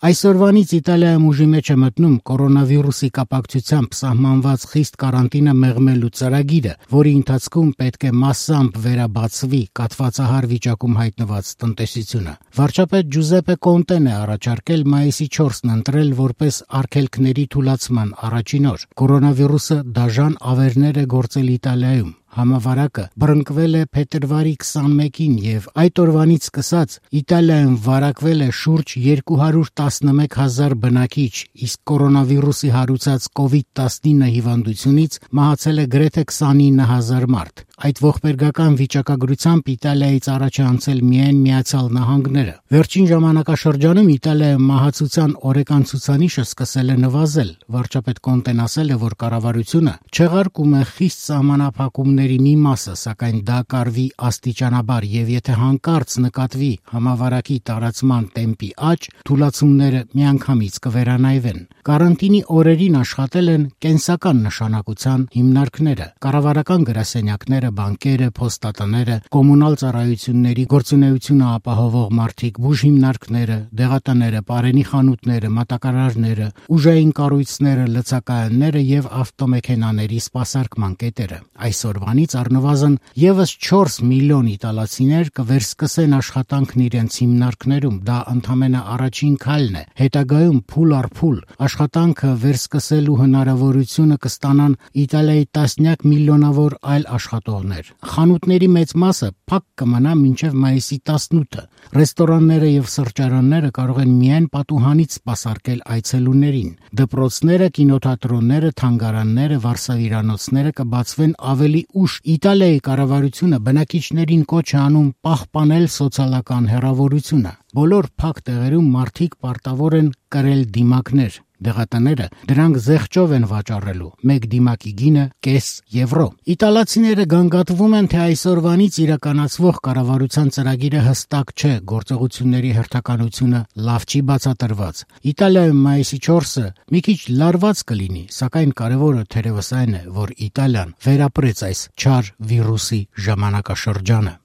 Այսօրվանից Իտալիայում ուժի մեջ է մտնում կորոնավիրուսի կապակցությամբ սահմանված խիստ կարանտինը մեղմելու ծրագիրը, որի ընթացքում պետք է մասամբ վերաբացվի կաթվածահար վիճակում հայտնված տնտեսությունը։ Վարչապետ Ջուզեպպե Կոնտեն է առաջարկել մայիսի 4-ն ընտրել որպես արգելքների թուլացման առաջին օր։ Կորոնավիրուսը դաժան ավերներ է գործել Իտալիայում։ Համավարակը բռնկվել է փետրվարի 21-ին եւ այդ օրվանից սկսած Իտալիայում վարակվել է շուրջ 211,000 բնակիչ, իսկ կորոնավիրուսի հարուցած COVID-19 հիվանդությունից մահացել է գրեթե 29,000 մարդ։ Այդ ողբերգական վիճակագրությամբ Իտալիայից առաջ է անցել միայն Միացյալ Նահանգները։ Վերջին ժամանակաշրջանում Իտալիայում մահացության օրեկան ցուցանիշը սկսել է նվազել։ Վարչապետ Կոնտեն ասել է, որ կառավարությունը չեղարկում է խիստ սահմանափակումների մի մասը, սակայն դա կարվի աստիճանաբար եւ եթե հանկարծ նկատվի համավարակի տարածման տեմպի աճ, թուլացումները միանգամից կվերանայվեն։ Կարանտինի օրերին աշխատել են կենսական նշանակության հիմնարկները, կառավարական գրասենյակները, բանկերը, փոստատները, կոմունալ ծառայությունների գործունեությունը ապահովող մարդիկ, բուժհիմնարկները, դեղատները, պարենի խանութները, մատակարարները, ուժային կառույցները, լցակայանները եւ ավտոմեքենաների սպասարկման կետերը։ Այսօրվանից առնվազն եւս 4 միլիոն իտալացիներ կվերսկսեն աշխատանքն իրենց հիմնարկներում։ Դա ընդամենը առաջին քայլն է։ Հետագայում փուլ առ փուլ աշխատանքը վերսկսելու հնարավորությունը կստանան Իտալիայի տասնյակ միլիոնավոր այլ աշխատողներ։ Խանութների մեծ մասը փակ կմնա մինչև մայիսի 18-ը։ Ռեստորանները եւ սրճարանները կարող են միայն պատուհանից սպասարկել այցելուներին։ Դպրոցները, կինոթատրոնները, թանգարանները, վարսավիրանոցները կբացվեն ավելի ուշ։ Իտալիայի կառավարությունը բնակիչներին կոչ է անում պահպանել սոցիալական հեռավորությունը։ Բոլոր փակ տեղերում մարդիկ պարտավոր են կրել դիմակներ։ Դեղատները դրանք զեղչով են վաճառելու։ Մեկ դիմակի գինը կես եվրո։ Իտալացիները գանգատվում են, թե այսօրվանից իրականացվող կառավարության ծրագիրը հստակ չէ, գործողությունների հերթականությունը լավ չի բացատրված։ Իտալիայում մայիսի 4-ը մի քիչ լարված կլինի, սակայն կարևորը թերևս այն է, որ Իտալիան վերապրեց այս չար վիրուսի ժամանակաշրջանը։